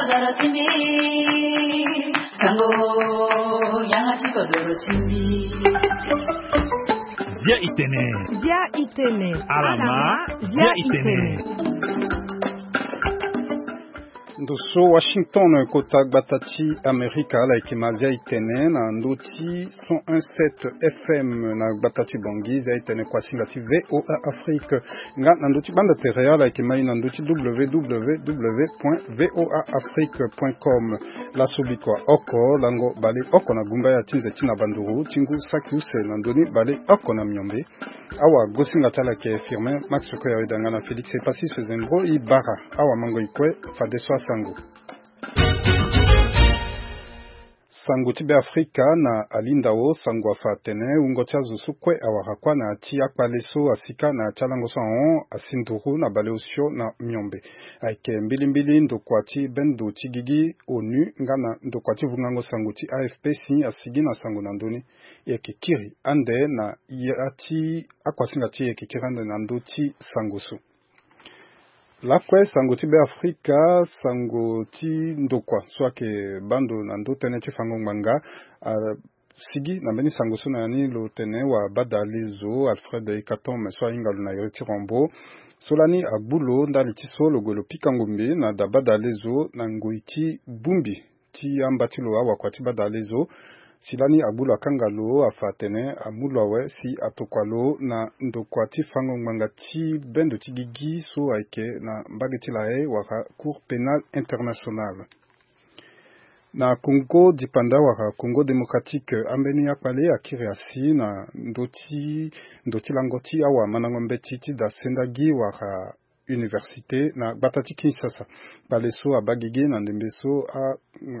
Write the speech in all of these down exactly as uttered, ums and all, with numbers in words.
Doro ti mbi, sango, yanga ti kodoro ti mbi. Bia itene. Bia itene. Alama, bia itene. Ndo so Washington, kota gbata ti Amerika, ala yeke ma Bia itene na ndö ti cent un sept F M na gbata ti Bangui. Bia itene kuasinga ti V O A Afrique. Nga na ndö ti banda tere, ala yeke ma e na ndö ti W W W point V O A Afrique point com. Laso bikua oko, lango baleoko na gumbaya ti nze ti na banduru ti ngu saki use na ndö ni baleoko na miombe. Awagosinga ti ala yeke Firmin Max Koya, e da nga na Félix Epassis Zembro e bara awamango e kue fadeso asango. Sango ti Beafrika na alindao, sango afa atene wungo ti azo so kue awara kuâ na ya ti akpale so asi kâ na ya ti alango so ahon asi nduru na baleosio na miombe. Ayeke mbilimbili ndokua ti bendo ti gigi ONU nga na ndokua ti vungango sango ti A F P si asigi na sango na ndö ni. E yeke kiri ande na ya ti akuasinga ti e, e yeke kiri ande na ndö ti sango so. Lakue sango ti Beafrika, sango ti ndokua so ayeke baa ndo na ndö tënë ti fango ngbanga, asigi na mbeni sango so na ya ni lo tene wabadale zo Alfred Ekatom so ahinga lo na iri ti Rambo, so lani agbu lo ndali ti so lo gue lo pika ngombe na dabadale zo na ngoi ti bongbi ti amba ti lo, awakua ti badale zo. Si lani agbu lo akanga lo, afa atene amu lo awe si atokua lo na ndokua ti fango ngbanga ti bendo ti gigi so ayeke na mbage ti laye wala Cour pénale internationale. Na Congo dipanda wala Congo démocratique, ambeni akpale akiri asi na ndö ti, ndö ti lango ti awamandango mbeti ti da sendagi wala université na gbata ti Kinshasa. Kpale so abaa gigi na ndembe so a,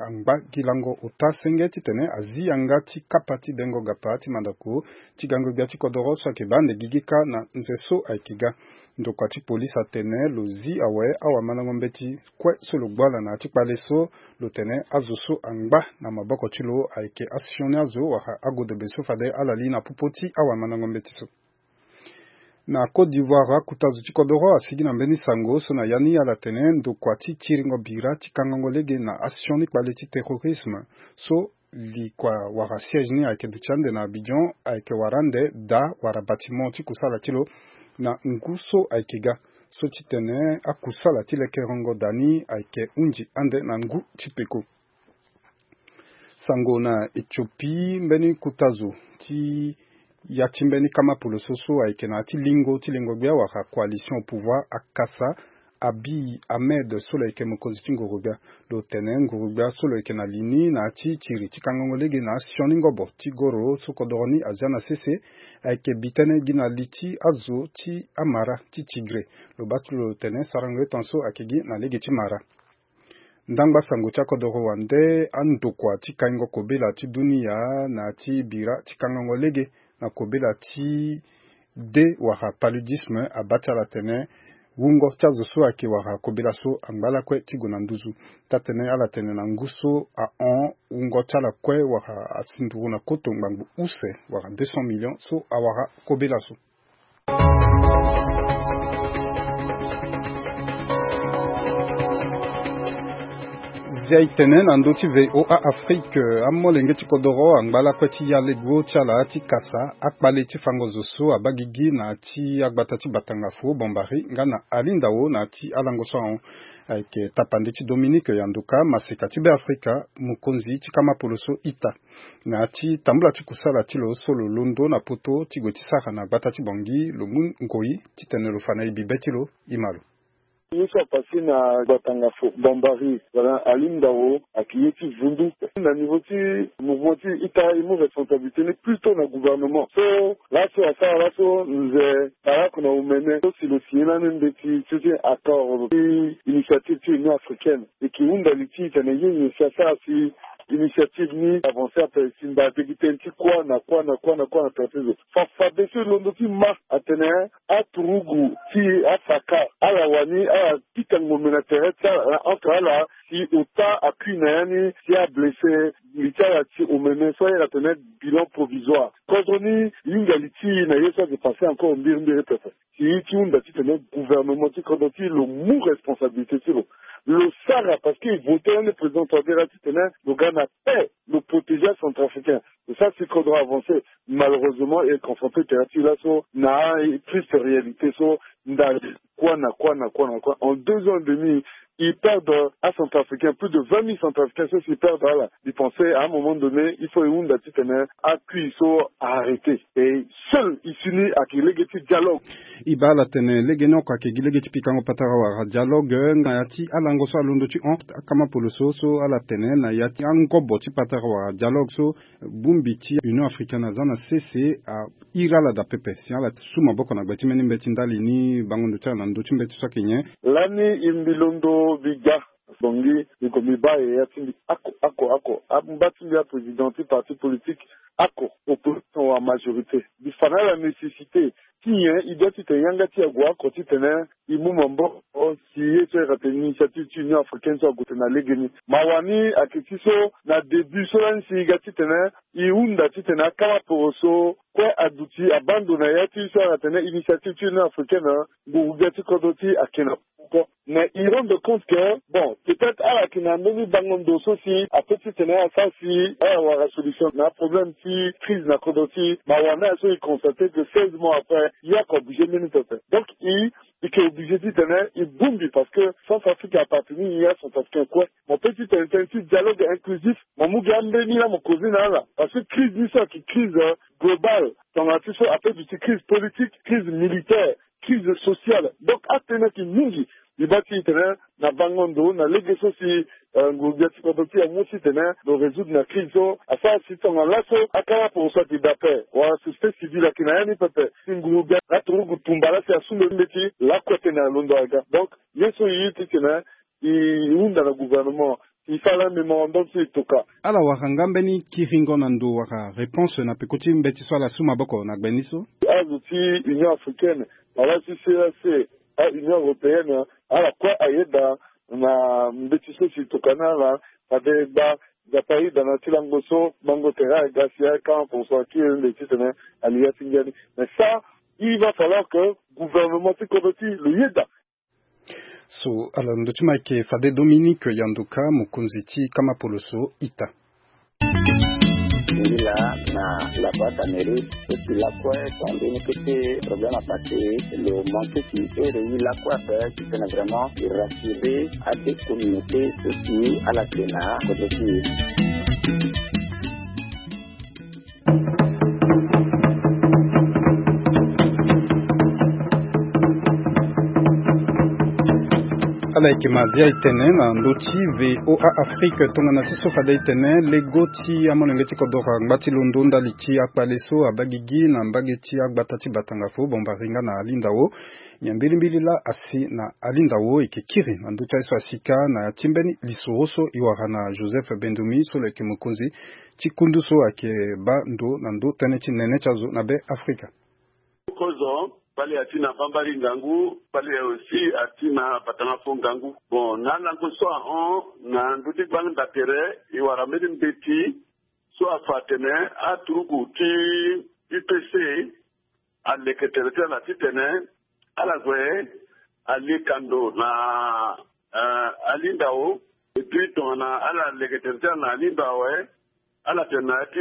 angba gi lango ota senge titene azi yanga ti kapa ti dengo gapa ti mandako ti gango gbia ti kodoro so ayeke baa ande gigi kâ na nze so ayeke ga. Ndokua ti polise atene lo zi awe awamandango mbeti kue so lo gbu ala na ya ti kpale so, lo tene azo so angba na maboko ti lo ayeke asioni azo wala agodobe so fade ala li na popo ti awamandango mbeti so. Na Côte d'Ivoire, akuta zo ti kodoro asigi na mbeni sango so na ya ni ala tene ndokua ti tiringo bira ti kangango lege na asioni kpale ti terrorisme so li kua wala siège ni ayeke duti ande na Abidjan ayeke wara ande daa wala bâtiment ti kusala ti lo na ngu so ayeke ga, so titene akusala ti lekerengo daa ni ayeke hunzi ande na ngu ti peko. Sango na Éthiopie, mbeni kuta zo ti ya ti mbeni kama poloso so ayeke na ya ti lingo ti lingo gbia wala coalition au pouvoir akasa Abiy Ahmed so lo yeke mokonzi ti nguru gbia. Lo tene nguru gbia so lo yeke na li ni na ya ti tiri ti kangango lege na asioni ngobo ti goro so kodoro ni azia na sese ayeke bi tënë gi na li ti azo ti amara ti Tigré. Lo baa ti lo tene sarango etan so ayeke gi na lege ti mara. Ndangba sango ti akodoro wande, andokua ti kaingo kobela ti dunia na ya ti bira ti kangango lege na kobela ti de wala paludisme abaa ti ala tene wungo ti azo so ayeke wara kobela so angba lakue ti gue na nduzu. Taa-tënë ala tene na ngu so ahon wungo ti ala kue wara asi nduru na koto ngbangbo use wala deux cents millions so awara kobela so. Zia e tene na ndö ti V O A Afrique, amolenge ti kodoro angba lakue ti ya lego ti ala ti kasa akpale ti fango zo so abaa gigi na ya ti agbata ti Batanga Faux Bombari nga na Alindao na ya ti alango so ahon. Ayeke tapande ti Dominique Yanduka, maseka ti Beafrika, mokonzi ti kama poloso ita. Na ya ti tambula ti kusala ti lo so lo londo na poto ti gue ti sara na gbata ti Bangui, lo mu ngoi titene lo fa na e bibe ti lo, e ma lo. Ye so apase na Batanga Faux Bombari wala Alindao ayeke ye ti vundu. Na niveau ti mouvement ti ita, e mu responsabilité ni plutôt na gouvernement. So laso asara laso nze Barack na omene so si lo signé lani mbeti ti, ti accord ti initiative ti Union africaine. E yeke hunda li ti tene ye nyen si asara si initiative ni avancé ape si mba begi tënë ti kuâ na kuâ na kuâ na kuâ na tere ti zo. Fa fadeso e londo ti ma atene aturugu ti afaka ala wani ala pika ngombe na tere ti ala na entre ala si ota akui na ya ni si ablessé. Mbi ti ala ti omene so ayeke atene bilan provisoire. Kodro ni hinga li ti e na ye so ayeke passé encore mbirimbiri pepe. Si e ti hunda titene gouvernement ti kodro ti e lo mu responsabilité ti lo. Lo sara parce que e voté lani président Touadéra titene lo ga na paix, lo protéger acentrafricain. E sara si kodro avancé. Malheureusement e confronté tere ti e laso na triste réalité so ndali kuâ na kuâ na kuâ na kuâ en deux ans et demi. E perdre acentrafricain plus de vingt mille centrafricains so si e perdre ala. E pensé à un moment donné il faut e hunda titene akui so arrêté. E seul e si ni ayeke lege ti dialogue. E baa ala tene lege ni oko ayeke gi lege ti pikango patara wala dialogue na ya ti alango so alondo ti hon akama poloso so ala tene na ya ti angobo ti patara wala dialogue so bongbi ti Union Africaine aza na sese a iri ala daa pepe si ala su maboko na gbe ti mbeni mbeti ndali ni bango ndo ti ala na ndö ti mbeti so ayeke nyen. Lani e mbi londo mbi ga bongi mbi ko mbi baa e ya ti mbi ako ako ako angba ti mbi aprésident ti parti politique ako opposition wala majorité mbi fa na ala nécessité ti nyen e doit titene yanga ti e ague oko titene e mu maboko si ye so ayeke atene initiative ti Union Africaine so ague tene na legeni. Mawa ni ayeke ti so na début so lani si e ga titene e hunda titene akama poro so kue aduti abaa ndo na ya ti so ayeke atene initiative ti Union Africaine nguru gbia ti kodro ti e ayeke na oko. Mais e rendre compte que bon peut-être ala yeke na mbeni bango ndo so si ape titene asara si ala wara solution na aproblème ti crise na kodro ti e. Mawa na ala so e constaté que seize mois après e yeke obligé mbeni pepe. Donc e e yeke obligé titene e bongbi parce que Centrafrique appartenir e ya Centrafricain kue. Mo pe titene tënë ti dialogue inclusif mo mu gi ambeni laa mo causer na ala parce que crise ni so ayeke crise globale. Tongana ti so ape duti crise politique, crise militaire, crise sociale. Donc atënë ayeke mingi. Mbi baa ti e tene na bango ndo na lege so si nguru gbia ti kodro ti e amu titene lo résoudre na crise so asara si tongana laso akama poro so ayeke daa ape wala société civile ayeke na ya ni pepe si nguru gbia aturugu tumba laa si asu mbeti lakue tene alondo aga. Donc ye so e ye titene e hunda na gouvernement e sara la mémorandum so e toka. Ala wara nga mbeni kiringo na ndo wala réponse na peko ti mbeti so ala su maboko na gbe ni so. Azo ti Union Africaine wala ti C E E A C, a Union Européenne ala kue ayeda na mbeti so si e toka na ala. Fade gba Nzapa ayeda na ti lango so bango tere aga si akama poro so akiri nde titene ali ya ti ngia ni. Mais ça il va falloir que gouvernement ti kodro ti e lo yeda. So ala ndö ti ma ayeke fade Dominique Yanduka mokonzi ti kama poloso ita. Ngi laa na la boîte à mérite et puis lakue so ambeni kete problème apassé lo manqué ti ere ye lakue ape titene vraiment e rassurer ade communauté so si ala yeke na kodro ti e. Ala yeke mazia e tene na ndö ti VOA Afrique tongana ti so fade e tene lego ti amolenge ti kodoro angba ti londo ndali ti akpale so abaa gigi na mbage ti agbata ti Batangafo Bombari nga na Alindao. Nyen mbilimbili laa asi na Alindao e yeke kiri na ndö ti aye so asi kâ na ya ti mbeni lisoro so e wara na Joseph Bendumi so lo yeke mokonzi ti kundu so ayeke baa ndo na ndö tënë ti nene ti azo na be Afrika. Kozo kpale ati na Bambari ngangu, kpale aussi ati na Batangafo ngangu. Bon na lango so ahon na ndö ti gbangba tere e wara mbeni mbeti so afa atene aturugu ti U P C aleke tere ti ala titene ala gue alie kando na Alindao. Et puis tongana ala leke tere ti ala na Alindao awe, ala tene na ya ti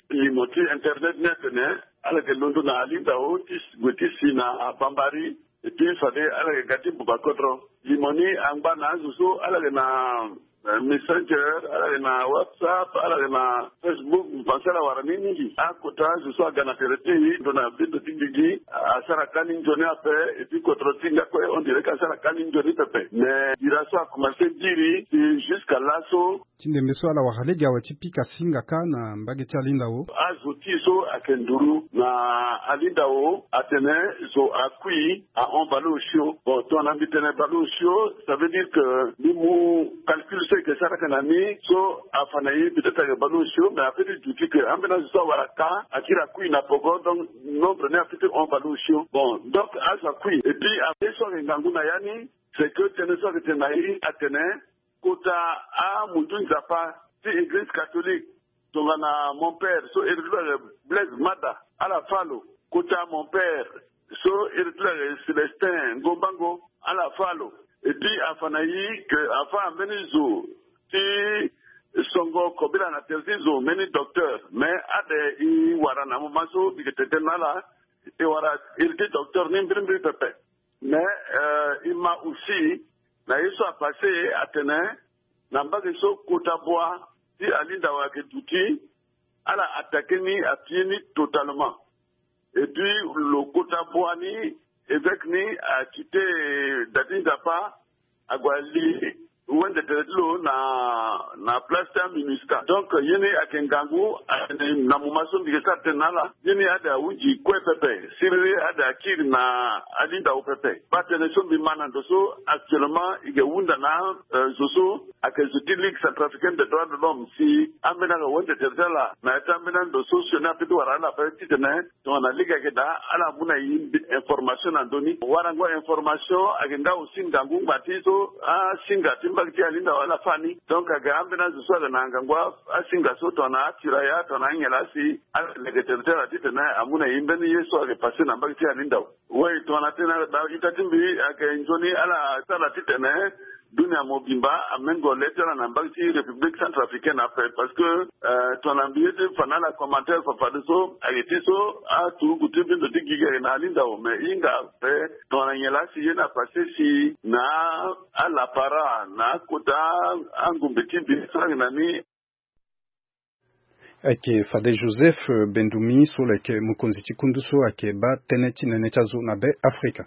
limo ti internet ni atene ala yeke londo na Alindao ti gue ti si na Bambari. Et puis fade ala yeke ga ti buba kodro. Limo ni angba na azo so ala yeke na Messenger, ala yeke na WhatsApp, ala yeke na Facebook. Mbi pense ala wara ni mingi. Akota azo so aga na tere ti e ndo na bendo ti gigi asara kani nzoni ape. Et puis kodro ti nga kue on dirait ke asara kani nzoni pepe. Mais bira so akomanse diri ti jusqu'à laso. Ti ndembe so ala wara lege awe ti pika singa kâ na mbage ti Alindao. Azo ti e so ayeke nduru na Alindao atene zo akui ahon baleosio. Bon tongana mbi tene baleosio, ça veut dire que mbi mu calcul so e Ke sara ke na ni so afa na ye peut-être ayeke baleosio, mais ape ti duti ke ambeni azo so awara ka akiri akui na poko, donc nombre ni ape ti hon baleosio. Bon, donc azo akui et puis ape so ayeke ngangu na ya ni, c'est que tënë so ayeke tene na ye atene kota amundu nzapa ti église catholique tongana mon père so iri ti lo ayeke Blaise Mada, ala fâ lo. Kota mon père so iri ti lo ayeke Célestin Ngombango, ala fâ lo. Et puis afa na ye ke afa ambeni zo ti songo kobela na tere ti zo mbeni docteur, mais ade e wara na moment so mbi yeke tene tënë na ala, e wara iri ti docteur ni mbirimbiri pepe. Mais euh, e ma aussi na ye so apasse atene na mbage so kota bua ti Alindao ayeke duti, ala attaqué ni, apillé ni totalement. Et puis lo kota bua ni, évêque ni a quitté da ti nzapa, ague ali wende tere ti lo na na place ti aMINUSCA. Donc ye ni ayeke ngangu, atene na moment so mbi yeke sara tënë na ala, ye ni ade ahunzi kue pepe, siriri ade akiri na Alindao pepe. Baa tënë so mbi ma na ndo so actuellement e yeke hunda na euh, zo so ayeke zo ti Ligue centrafricaine des droits de l'homme si ambeni ayeke wende tere ti ala na ya ti ambeni ando so sioni ape ti wara ala ape titene tongana lege ayeke daa ala mu na e information na ndö ni. Warango information ayeke nga aussi ngangu ngba ti so asinga ti mbage ti Alindao ala fâ ni. Donc ayeke ambeni azo so ayeke na ngangu asinga so tongana atiraya tongana anyen laa si ala leke tere ti ala titene amu na e mbeni ye so ayeke passe na mbage ti Alindao. Oui, tongana tënë ala daa ita ti mbi ayeke nzoni ala sara titene dunia mobimba amengo le ti ala na mbage ti République centrafricaine ape, parce que euh, tongana mbi ye ti fa na ala commentaire fafadeso ayeke ti so aturugu ti mbi ndo ti gigi ayeke na Alindao, mais e hinga ape tongana nyen laa si ye ni apasse si na alapara na akota angombe ti mbi so ayeke na ni. Ayeke fade Joseph Bendumi so lo yeke mokonzi ti kundu so ayeke baa tënë ti nene ti azo na Be Afrika.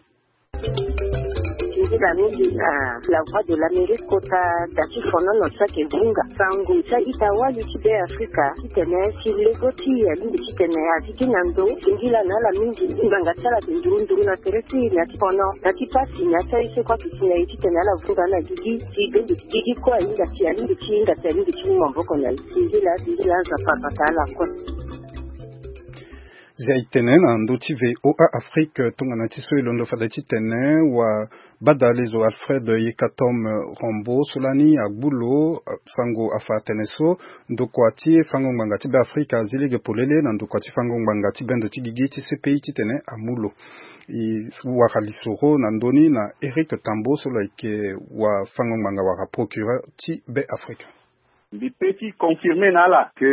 Nzila mingi na La Voix de l'Amérique kota da ti fonono so ayeke vunga sango ti a-ita wali ti Be Afrika titene si lego ti e alingbi titene azi gi na ndo singila na ala mingi. Ngbanga ti ala ayeke nduru nduru na tere ti e na ya ti fono na ya ti pasi na ya ti aye so kue ayeke si na e titene ala vunga na gigi. Ti bendo ti gigi kue ahinga si alingbi ti hinga si alingbi ti mu maboko na e. Singila singila Nzapa abata ala kue. Zia e tene na ndö ti V O A Afrique tongana ti so e londo fade titene wa badalezo Alfred Yekatom Rambo so lani agbu lo sango afa atene so ndokua ti fango ngbanga ti Be Afrika azi lege polele na ndokua ti fango ngbanga ti bendo ti gigi ti C P I titene amu lo. E wara lisoro na ndö ni na Eric Tambo so lo yeke wa fango ngbanga wala procureur ti Be Afrika. Mbi pe ti confirmer na ala que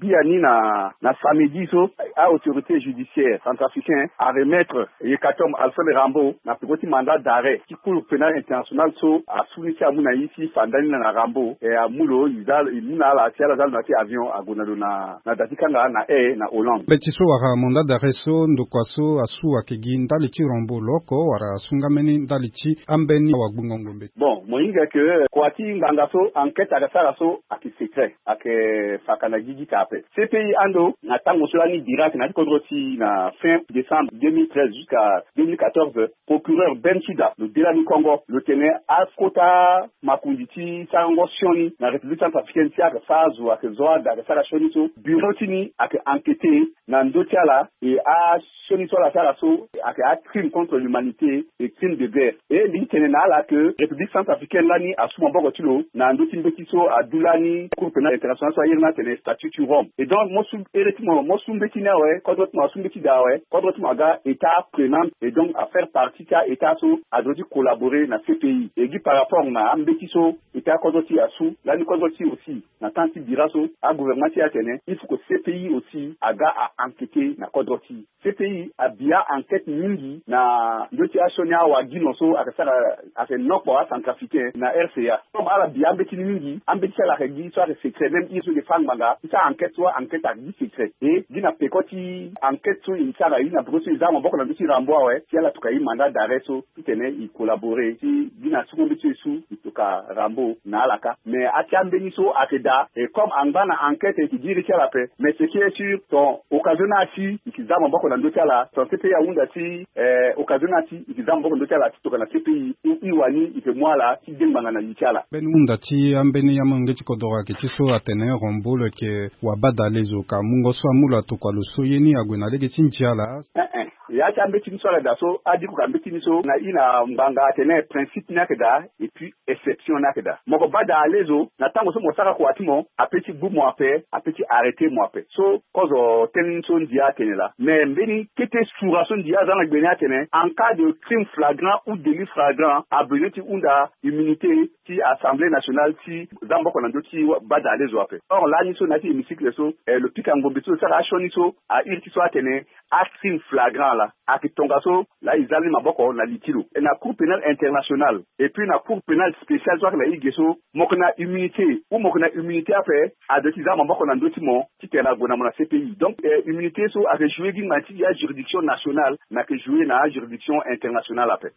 biani na na samedi so a-autorité judiciaire centrafricain aremettre Yekatom Alfred Rambo na peko ti mandat d'arrêt ti Cour pénale internationale so asu ni si amu na e si fa ndani na Rambo, e amu lo e za e mu na ala si ala za lo na ya ti avion ague na lo na na da ti kanga na Haye na Hollande. Mbeti so wala mandat d'arrêt so ndokua so asu ayeke gi ndali ti Rambo lo oko wala asu nga mbeni ndali ti ambeni awagbongo ngombe? Bon, mo hinga que kua ti ngbanga so enquête ayeke sara so ayeke secret, ayeke faka na gigi ka ape. C P I ando na tango so lani bira ayeke na ya ti kodro ti e na fin décembre deux mille treize jusqu'à deux mille quatorze, procureur Ben Souda lo de lani kongo lo tene akota makonzi ti sarango sioni na République centrafricaine si ayeke fâ azo ayeke zo ada ayeke sara sioni so bureau ti ni ayeke enquêter na ndö ti ala. E asioni so ala sara so ayeke acrime contre l'humanité et crime de guerre. E mbi ti tene na ala que République centrafricaine lani asu maboko ti lo na ndö ti mbeti so adu lani Cour pénale internationale so ayere ni atene statut ti Rome. Et donc mo su ere ti mo mo su mbeti ni awe, kodro ti mo asu mbeti daa awe, kodro ti mo aga état prenante et donc afaire partie ti a-état so adro ti collaborer na C P I. E gi par rapport na ambeti so état kodro ti e asu lani kodro ti e aussi na temps ti bira so agouvernement ti e atene il faut que C P I aussi aga a enquêter na kodro ti e. C P I abi a-enquête mingi na ndö ti asioni awagino so ayeke sara ayeke nokpo acentrafricain na R C A. Comme ala bi ambeti ni mingi, ambeti ti ala ayeke Gi so ayeke secret, même i so e fa ngbanga ti sara enquête so, enquête ayeke gi secret. E gi na peko ti enquête so e sara, e gi na bureau so e za maboko na ndö ti Rambo awe, si ala tuka e mandat d'arrêt so titene e collaborer si gi na suku mbeti so e su e tuka Rambo na ala kâ. Mais ati ambeni so ayeke daa, et comme angba na enquête e yeke giri ti ala ape. Mais ce qui est sûr, ton occasion ni asi e yeke za maboko na ndö ti ala, ton C P I ahunda si eh, occasion ni asi e yeke za maboko na ndö ti ala ti tokua na C P I, ou i wani e yeke mu ala ti de ngbanga na li ti ala. Mbeni hunda ti ambeni amolenge ti kodoro ayeke ti so atene Rambo lo yeke wabadale zo, ka mungo so amu lo atokua lo so ye ni ague na lege ti ndia laa. Eh, eh. Ya ti ambeti ni so ala daa so, adiko ka mbeti ni so na i na ngbanga atene principe ni ayeke daa, et puis exception ni ayeke daa. Mo ko bada ale zo, na tango so mo sara kua ti mo, ape ti gbu mo ape, ape ti arrêter mo ape. So kozo tënë ni so ndia atene laa. Mais mbeni kete sura so ndia aza na gbe ni atene, en cas de crime flagrant ou délit flagrant, abezoin ti hunda immunité ti Assemblée nationale ti za maboko na ndö ti bada ale zo ape. Or lani so na ya ti hémicycle so, eh, lo pika ngombe ti lo sara asioni so, a iri ti so atene, acrime flagrant laa ayeke tongaso laa e za ni maboko na li ti lo. E na Cour pénale internationale et puis na Cour pénale spéciale so ayeke na e ge so, mo yeke na immunité, ou mo yeke na immunité ape, adoit ti za maboko na ndö ti mo titene ague na mo na C P I. Donc eh, immunité so ayeke jouer gi ngbanga ti ya juridiction nationale, mais ayeke jouer na juridiction internationale ape.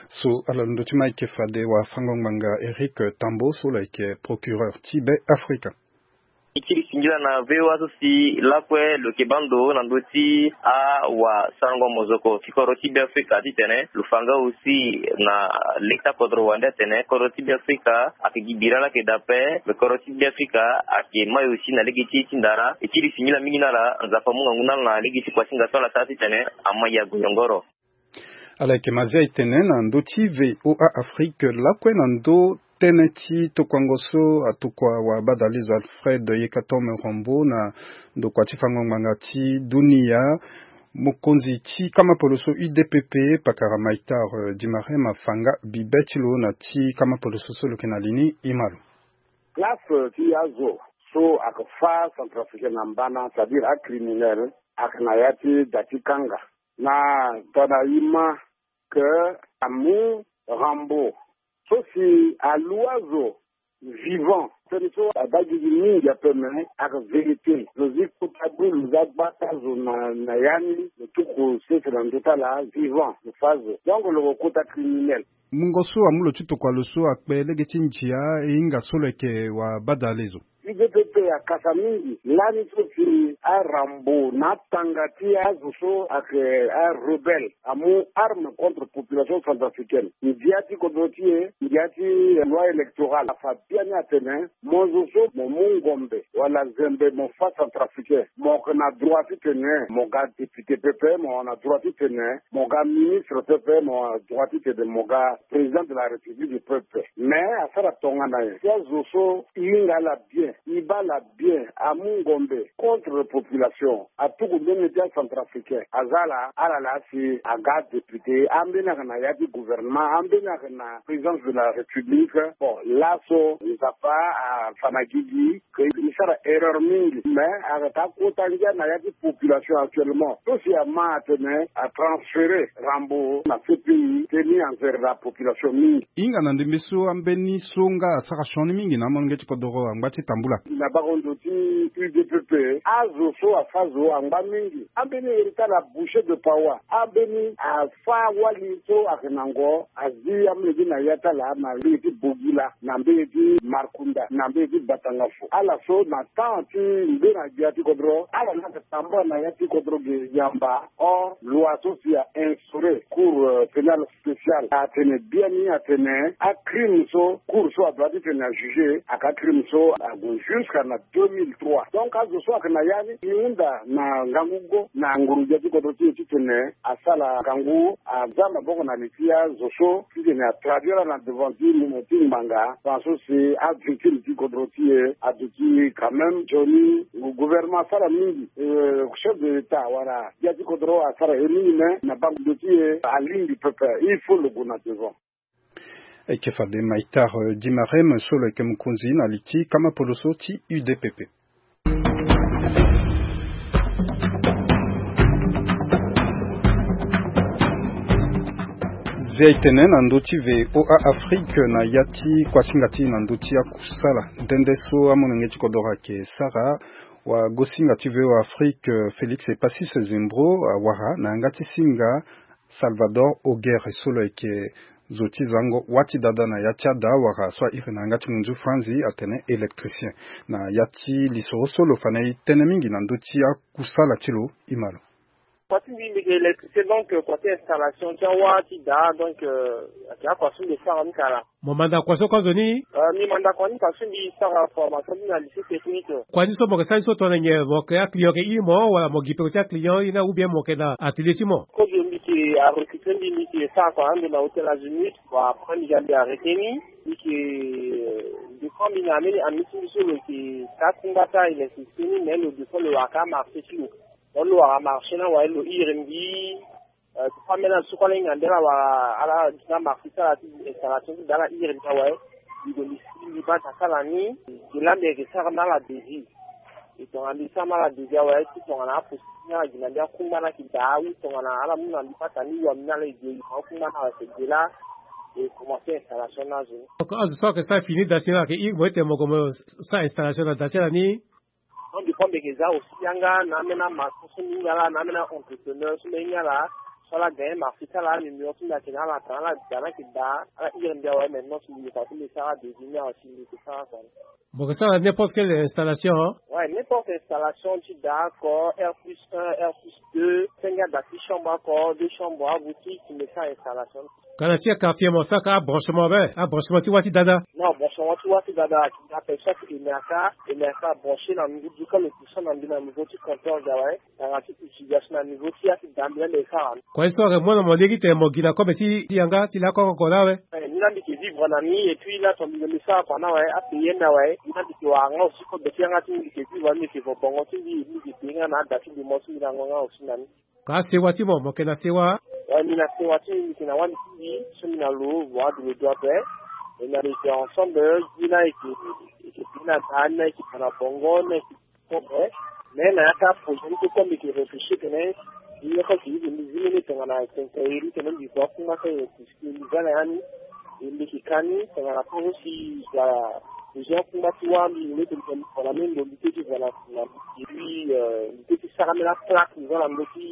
So ala londo ti ma ayeke fade wafango-ngbanga Eric Tambo so lo yeke procureur ti Be Afrika. E kiri singila na V O A so si lakue lo yeke baa ndo na ndö ti awasarango mozoko ti kodro ti Be Afrika titene lo fa nga aussi na lege ti akodro wande atene kodro ti Be Afrika ayeke gi bira laa ayeke daa ape, me kodro ti Be Afrika ayeke mai aussi na lege ti e ti ndara. E kiri singila mingi na ala, Nzapa amu ngangu na ala na lege ti kua ti nga so ala sara titene amai ague yongoro. Ala yeke Mazia e tene na ndö ti V O A Afrique lakue na ndö tënë ti tokuango so atokua wabadale zo Alfred Yekatom Rambo na ndokua ti fango ngbanga ti dunia. Mokonzi ti kama poloso U D P P, pakara Maitar, eh, Dimarem afa nga bibe ti lo na ti kama poloso so lo yeke na li ni, e ma lo. Place ti azo so ayeke fâ centrafricain na mbana, c'est-à-dire acriminel, ayeke na ya ti da ti kanga. Na tongana e ma ke amu Rambo so si alu azo vivant. Tënë so abaa gigi mingi ape, me ayeke vérité. Lo zi kota bru, lo zi agbata zo na, na ya ni, lo tuku sese na ndö ti ala vivant, lo fâ zo. Donc lo ko kota criminel. Mungo so amu lo ti tokua lo so akpe lege ti ndia, e hinga so lo yeke wabadale zo. U D P P akasa mingi lani so si aRambo na atanga ti azo so ayeke arebelle amu arme contre population centrafricaine. Ndia ti kodro ti e, ndia ti loi électorale afa biani atene mo zo so mo mu ngombe wala zembe mo fâ centrafricain, mo yeke na droit titene mo ga député pepe, mo na droit titene mo ga ministre pepe, mo na droit titene mo ga président de la République pepe. Mais asara tongana nyen si azo so e hinga ala bien, e baa ala bien, amu ngombe contre population, atuku mbeni ti acentrafricain, aza ala, ala laa si aga député, ambeni ayeke na ya ti gouvernement, ambeni ayeke na présidence de la République. Bon, laso Nzapa afa na gigi ke e sara erreur mingi, mais ayeke kota ngia na ya ti population actuellement. So si ama atene atransférer Rambo na C P I, c'est mis envers la population mingi. E hinga na ndembe so ambeni so nga asara sioni mingi na amolenge ti kodoro angba ti tambula. Na bango ndo ti U D P P, azo so afâ zo angba mingi. Ambeni iri ti ala Boucher de Paoua, ambeni afâ wali so ayeke na ngo, azi amolenge na ya ti ala na mbege ti Bogila, na mbege ti Markunda, na mbege ti Batangafo. Ala so na temps ti ngbene gbia ti kodro, ala laa ayeke tambula na ya ti kodro ge yamba. Or loi so si a instaurer Cour, euh, pénale spéciale atene biani atene acrime so Cour so adoit titene ajuger ayeke acrime so ague jusqu'à na deux mille trois. Donc azo so ayeke na ya ni, e hunda na ngangu go na nguru gbia ti kodro ti e titene asala ngangu, aza maboko na li ti azo so titene atraduire ala na devant ti mo ti ngbanga, tant so si avictime ti kodro ti e aduti quand même nzoni. Gouvernement asara mingi, euh, chef de l'État wala gbia ti kodro asara ye mingi, mais na bango ndo ti e alingbi pepe. Il faut lo gue na devant. Ayeke fade Maitar, euh, Dimarem so lo yeke mokonzi na li ti kama poloso ti U D P P. Zia etene na ndö ti VOA Afrique na ya ti kuasinga ti na ndö ti akusala. Nde nde so amolenge ti kodoro ayeke sara, wagosinga ti VOA Afrique Félix Epassis Zembro awara na yanga ti singa Salvador Ogere so lo yeke zo ti zango wâ ti dada na ya ti ada wala so a iri na yanga ti munzu franzi atene électricien. Na ya ti lisoro so lo fa na e tënë mingi na ndö ti akusala ti lo, e ma lo. Kua ti mbi mbi yeke électricien, donc kua ti installation ti awâ ti daa, donc ayeke akua so mbi sara ni kala. Mo manda kua so kozo ni? Mbi manda kua ni parce que mbi sara formation ti na lycée technique. Kua ni so mo yeke sara ni so tongana nyen? Mo yeke aclient yeke iri mo wala mo gi peko ti aclient iri ni, ou bien mo yeke na atelier ti mo? Kozo mbi yeke arecruter mbi, mbi yeke sara kua na ndo na hôtel Azimut. Bon, après mbi ga mbi arrêter ni. Mbi yeke, mbi kue mbi na ambeni ami ti mbi so lo yeke sara kungba ti a électricité ni, mais lo de fois lo wara ka marché ti lo. Donc lo wara marché ni awe lo iri mbi. Ti fa ambeni azo so kue ala hinga nde ala wara ala gi na marché ti ala ti installation ti daa ala iri mbi awe. Mbi gue mbi si mbi baa ti asara ni. Gi laa mbi yeke sara na ala devis. E tongana mbi sara na ala devis awe ti tongana aposi ti ni ala gi na mbi akungba ni ayeke daa ou tongana ala mu na mbi baa ti ani wambi ni ala e gue e yeke akungba ni ala yeke gue laa. E commencer installation ni azo ni. Donc azo so ayeke sara fini daa si ni ala yeke iri mo ete mo gue mo sara installation na daa ti ala ni. Donc mbi kue mbi yeke za aussi yanga na ambeni amaçon so mbi hinga ala na ambeni a-entrepreneur so mbi hinga ala. So ala gagner marché ti ala anuméro so mbi ayeke na ala atene ala daa ni ayeke daa ala iri mbi awe maintenant si mbi yeke fa so mbi sara devis ni awe si mbi yeke sara kua ni. Mo yeke sara n'importe quelle installation? Ouais, n'importe installation ti daa oko, R plus un, R plus deux, senge ada ti chambre oko, deux chambres, aboutique, ti mbi sara installation. Ka na ti quartier mo sara ka abranchement be, abranchement ti wâ ti dada? Non, branchement ti wâ ti dada ayeke daa ape, chaque E M R K, E M R K abranché na ndö ti ka lo ti so na mbi na niveau ti compteur ga awe. Tongana ti utilisation na niveau ti ya ti daa mbi laa mbi sara. Kua ye so ayeke mu na mo lege ti tene mo gi na kobe ti yanga ti lakue oko laa awe? Eh, ni laa mbi yeke vivre na ni et puis laa tongana mbi sara kua ni awe, apayer ni awe. Ni laa mbi yeke wara nga aussi kobe ti yanga ti mbi, mbi yeke vivre na ni, mbi yeke vo bongo ti mbi, mbi yeke payer nga na ada ti mbi mo ti mbi na ngonga aussi na ni. Ka asewa ti mo, mo yeke na sewa? Ouais, mbi na sewa ti mbi, mbi yeke na wali ti mbi so mbi na lo, vo adu lo do ape. E na lo yeke ensemble, gi laa e yeke, e yeke payer na daa ni laa e yeke fa na bongo ni laa e yeke. Bon, eh, mais na ya ti aprojet ni kue mbi yeke réfléchir tene mbi yeke zi mbi zi mbeni tongana quincaillerie tene mbi gue akungba ti aye puisque mbi za na ya ni. E mbi yeke ka ni tongana kue so si wala besoin akungba ti wâ mbi, mbi leke mbi tene mbi fa na mbeni lo mbi te ti fa na, na, et puis, euh, mbi te ti sara mbeni aplaque mbi za na ndö ti,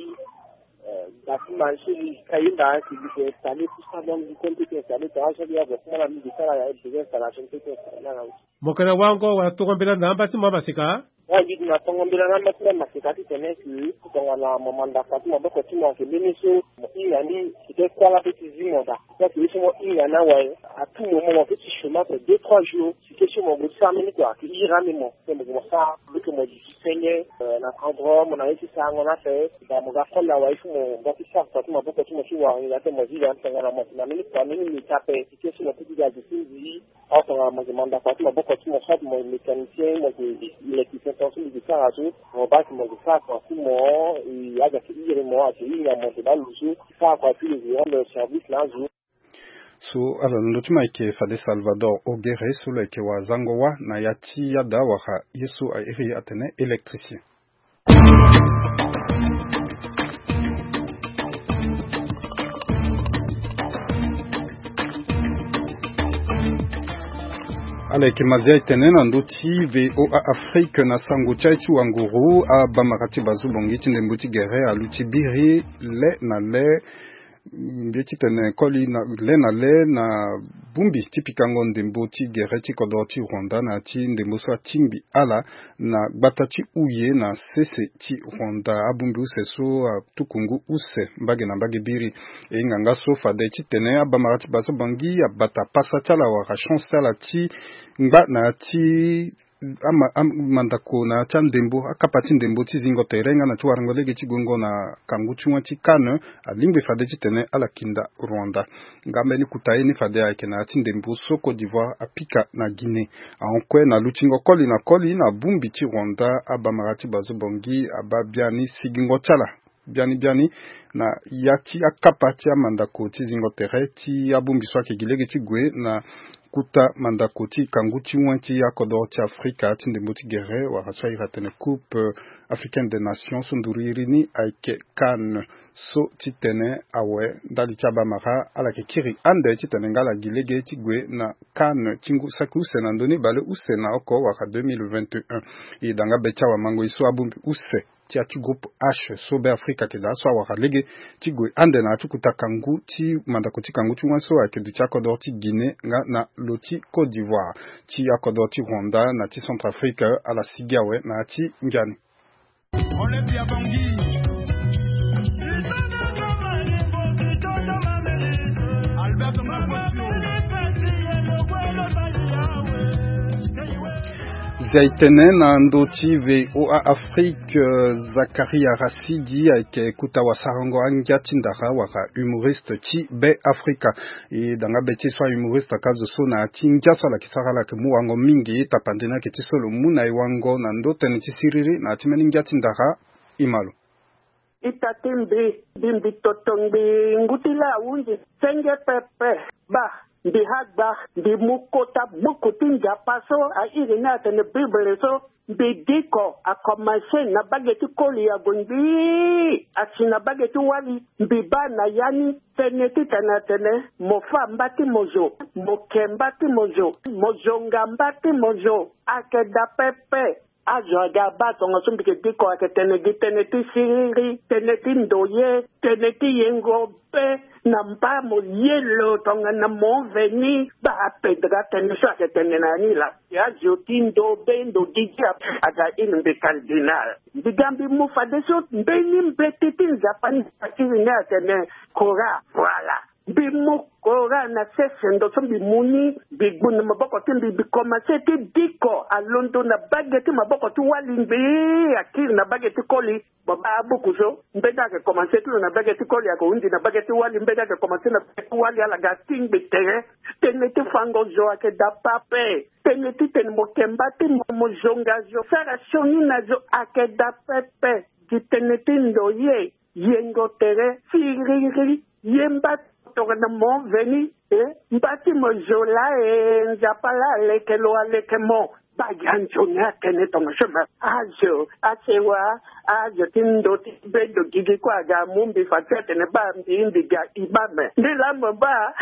euh, bâtiment so mbi ka yenda si mbi yeke installer tout ça, donc mbi kue mbi te ti installer tongana so mbi ya gue akungba na mbi mbi sara ya besoin installation mbi te ti installer na. Mo yeke na wango wala tongo mbela na amba ti mo amaseka? Wala gi na tongo mbela na amba ti mo amaseka titene si tongana mo manda kua ti maboko ti mo ayeke mbeni so mo hinga ni, peut-être kue ala peut ti zi mo daa. Peut-être ye so mo hinga ni awe, à tout moment mo peut ti chômage pe deux trois jours. Si ke so mo gue ti sara mbeni kua ayeke iri ande mo, pe mo gue mo sara, mo ke mo duti senge, euh, na endroit mo na ye ti sarango ni ape. Daa mo ga kole awe, il faut mo nga ti sara kua ti maboko ti mo ti wara nyen daa ti mo zi daa tongana mo yeke na mbeni kua mbeni meti ape. Si ke so mo peut ti ga duti mbi. Or tongana mo yeke manda kua ti maboko ti mo, soit mo mécanicien, mo yeke électricien, tongaso mbi yeke sara so, mo baa si mo yeke sara kua ti mo, e, azo ayeke iri mo, ayeke hinga mo, mo yeke baa lo so sara kua ti lo yeke rendre service na azo. So ala na ndö ti mo ayeke fade Salvador Ogere so lo yeke wazango wâ na ya ti ada wala ye so a iri atene électricien. Ala yeke mazia etene na ndö ti VOA Afrique na sango ti aye ti wanguru, abamara ti bazo bongi ti ndembo ti gere aluti biri le na le. Mbi ye titene koli na le na le na bongbi ti pikango ndembo ti gere ti kodoro ti Rwanda na ya ti ndembo so atingbi ala na gbata ti Huye na sese ti Rwanda. Abongbi use so atuku ngu use mbage na mbage biri. E hinga nga so fade titene abamara ti bazo bongi abata pasa ti ala wala chance ti ala ti ngba na ya ti ama, am, mandako na ya ti andembo, akapa ti ndembo ti zingo tere nga na ti warango lege ti gongo na kangu ti wen ti CAN, alingbi fade titene ala kinda Rwanda. Nga mbeni kuta ye ni fade ayeke na ya ti ndembo so Côte d'Ivoire apika na Guinée. Ahon kue na lutingo koli na koli na bongbi ti Rwanda, abamara ti bazo bongi abaa biani sigingo ti ala biani biani na ya ti akapa ti amandako ti zingo tere ti abongbi so ayeke gi lege ti gue na kuta mandako ti kangu ti wen ti akodoro ti Afrika ti ndembo ti gere wala so airi atene Coupe Africaine des Nations so nduru iri ni ayeke CAN. So titene awe ndali ti abamara ala yeke kiri ande titene nga ala gi lege ti gue na CAN ti ngu saki use na ndö ni baleuse na oko wala deux mille vingt et un. E da nga be ti awamango e so abongbi use ti ya ti groupe H so Beafrika ayeke daa so awara lege ti gue ande na ya ti kota kangu ti mandako ti kangu ti wen so ayeke duti akodoro ti Guinée nga na lo ti Côte d'Ivoire. Ti akodoro ti Rwanda na ti Centrafrique ala sigi awe na ya ti ngia ni. Zia e tene na ndö ti VOA Afrique, euh, Zakaria Rasidi ayeke kuta wasarango angia ti ndara wala humoriste ti Beafrika. E da nga be ti e so ahumoriste aka zo so na ya ti ngia so ala yeke sara ala yeke mu wango mingi tapande ni ayeke ti so lo mu na e wango na ndö tënë ti siriri na ya ti mbeni ngia ti ndara. E ma lo. Ita ti mbi, mbi, mbi toto ngbi ngu ti laa ahunzi senge pepe. Baa, mbi hagba, mbi mu kota buku ti Nzapa so airi ni atene Bible so, mbi diko, akomanse na bage ti koli ague ngbii asi na bage ti wali. Mbi baa na ya ni tënë titene atene mo fâ mba ti mo zo, mo ke mba ti mo zo, mo zonga mba ti mo zo. Ayeke daa pepe. Azo aga abaa tongaso mbi yeke diko ayeke tene gi tënë ti siriri, tënë ti ndoye, tënë ti yengo be na mba mo ye lo tongana mo veni. Baa apedre atënë so ayeke tene na ya ni laa. Azo ti ndo be ndo gigi aga iri mbi cardinal. Mbi ga mbi mu fadeso mbeni mbeti ti Nzapa ni asiri ni atene Coran. Voilà. Mbi mu Coran na sese ndo so mbi mu ni, mbi gbu na maboko ti mbi, mbi komanse ti diko alondo na bage ti maboko ti wali ngbii akiri na bage ti koli. Baba abuku so mbeni ayeke komanse ti lo na bage ti koli ayeke hunzi na bage ti wali, mbeni ayeke komanse na bage ti wali ala ga atingbi tere. Tënë ti fango zo ayeke daa pepe. Tënë titene mo ke mba ti mo, mo zonga zo, sara sioni na zo ayeke daa pepe. Gi tënë ti ndoye, yengo tere, siriri, ye mba tongana mo veni, eh, mba ti mo zo laa, eh, Nzapa laa aleke lo aleke mo. Baa gi anzoni atene tongaso ma. Azo, asewa, azo ti ndo ti be ndo gigi kue aga amu mbi fa ti atene baa mbi, mbi ga imam. Mbi laa mo baa,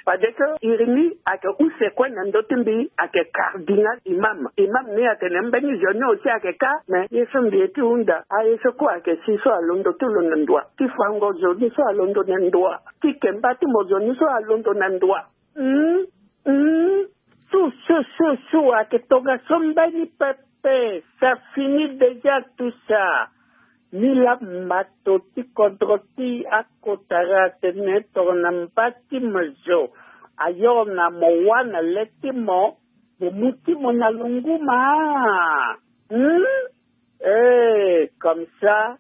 fadeso iri ni ayeke use kue na ndö ti mbi ayeke cardinal imam. Imam ni atene mbeni zo ni aussi ayeke ka, me ye so mbi ye ti hunda, aye so kue ayeke si so alondo ti lo na ndoa. Ti fango zo ni so alondo na ndoa. Ti ke mba ti mo zo ni so alondo na ndoa. Hum, hum. Su, su, su, su, ayeke tongaso mbeni pepe. Ça finit déjà tout ça. Ni laa mato ti kodro ti akotara atene tongana mba ti mo zo, ayo na mo wâ na le ti mo, mo mu ti mo na lo ngu ma. Hum? Eh, comme ça,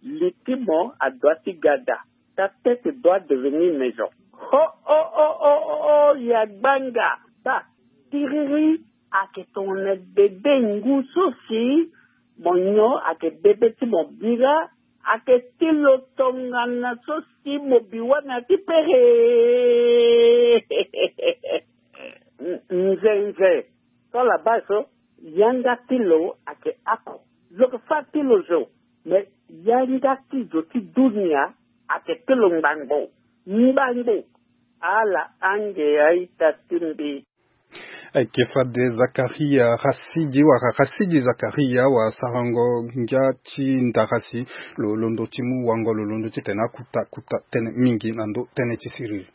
li ti mo adoit ti ga daa. Ta tête doit devenir maison. Oh, oh, oh, oh, oh, oh, ya gbanga. Baa, tiriri, ayeke tongana bebe ngu so si mo nyon ayeke bebe ti mo bira, ayeke ti lo tongana so si mo bi wâ na ya ti pere. Nzenze. So ala baa so, yanga ti lo ayeke oko. Lo yeke fâ ti lo zo. Me yanga ti zo ti dunia ayeke ti lo ngbangbo. Ngbangbo. Ala ange a-ita ti mbi. Ayeke fade Zakaria Rasidi wala Rasidi Zakaria wasarango ngia ti ndara si lo londo ti mu wango, lo londo titene akuta kuta tënë mingi na ndö tënë ti siriri.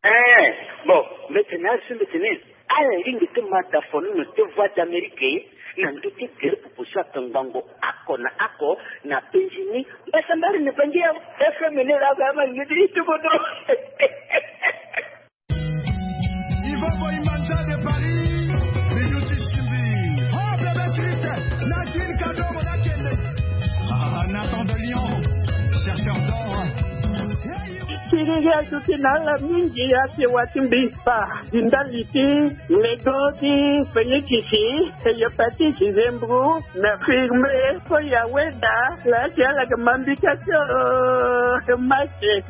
Eh, bon, mbi tene asi mbi tene, ala lingbi ti ma dafonono ti Voix d'Amérique na ndö ti gere popo so atongbango oko na oko na penzi ni. Mbasambari ni bangi ya F M ni la ba ma ni ti bodo. Ivo Boimanda de Paris, Minuti Simbi. Oh, bébé triste, Nadine Kadogo Nakende. Ah, Nathan de Lyon, chercheur d'or. Siriri azuti na ala mingi, asewa ti mbi. Baa, di ndali ti lego ti fenikisi, hépatite, zembro, na firme, so ya weda, la ti ala yeke ma mbi ka ti, oh, mache.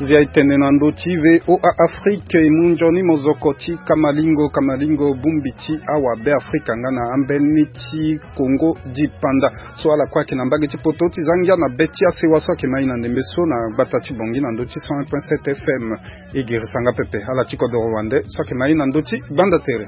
Zia etene na ndö ti VOA Afrique, e mu nzoni mozoko ti kamalingo kamalingo bongbi ti awa Beafrika nga na ambeni ti Congo dipanda. So ala kue ayeke na mbage ti poto ti za ngia na be ti asewa so ayeke ma e na ndembe so na gbata ti Bangui na ndö ti cent un point sept F M. E girisa nga pepe ala ti kodoro wande so ayeke ma e na ndö ti gbanda tere.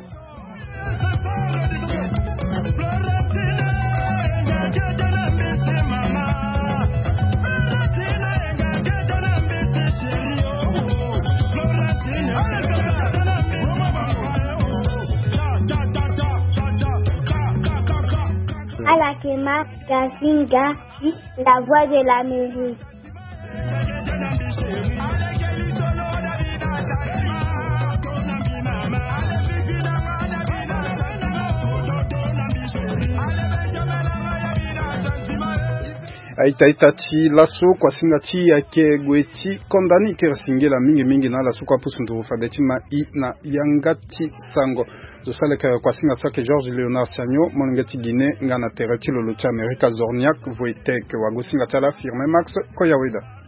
Ala yeke ma Gazinga, la voix de l'Amérique. Aita ita ti laso, kuasinga ti e ayeke gue ti konda ni. Kere singila mingi mingi na ala so kue apusu nduru fade ti ma e na yanga ti sango. Zo so aleke kuasinga so ayeke Georges Léonard Siagno, molenge ti Guinée, nga na tere ti lolo ti Amerika Zorniak Voitek. Wagosinga ti ala Firmin Max Koyaweda.